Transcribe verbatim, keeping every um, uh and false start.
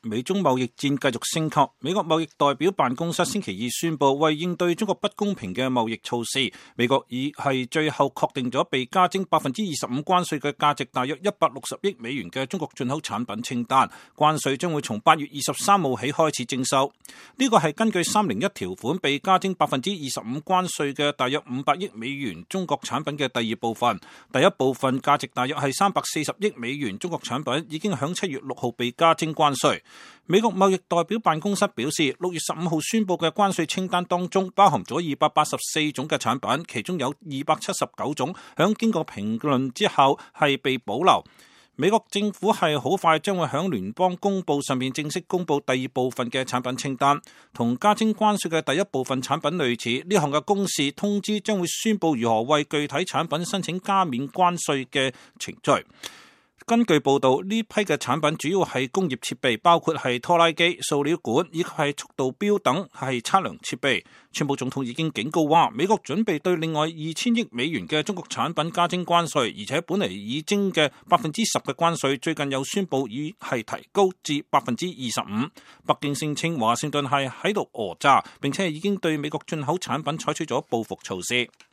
美中貿易戰繼續升級，美國貿易代表辦公室星期二宣布，為應對中國不公平嘅貿易措施，美國已係最後確定咗被加徵百分之二十五關稅嘅價值大約一百六十億美元嘅中國進口產品清單，關稅將會從八月二十三號起開始徵收。呢個係根據三零一條款被加徵百分之二十五關稅嘅大約五百億美元中國產品嘅第二部分。第一部分價值大約係三百四十億美元中國產品已經響七月六號被加徵關稅。美國貿易代表辦公室表示，六月十五號宣布嘅關稅清單當中包含咗二百八十四種嘅產品，其中有二百七十九種響經過評論之後係被保留。美國政府係好快將會響聯邦公報上面正式公布第二部分嘅產品清單，同加徵關稅嘅第一部分產品類似。呢項嘅公示通知將會宣布如何為具體產品申請加免關稅嘅程序。根據報道，呢批嘅產品主要係工業設備，包括係拖拉機、塑料管以及係速度錶等係測量設備。川普總統已經警告話，美國準備對另外二千億美元嘅中國產品加徵關稅，而且本嚟已徵嘅百分之十嘅關稅，最近又宣布已係提高至百分之二十五。北京聲稱華盛頓係喺度訛詐，並且係已經對美國進口產品採取咗報復措施。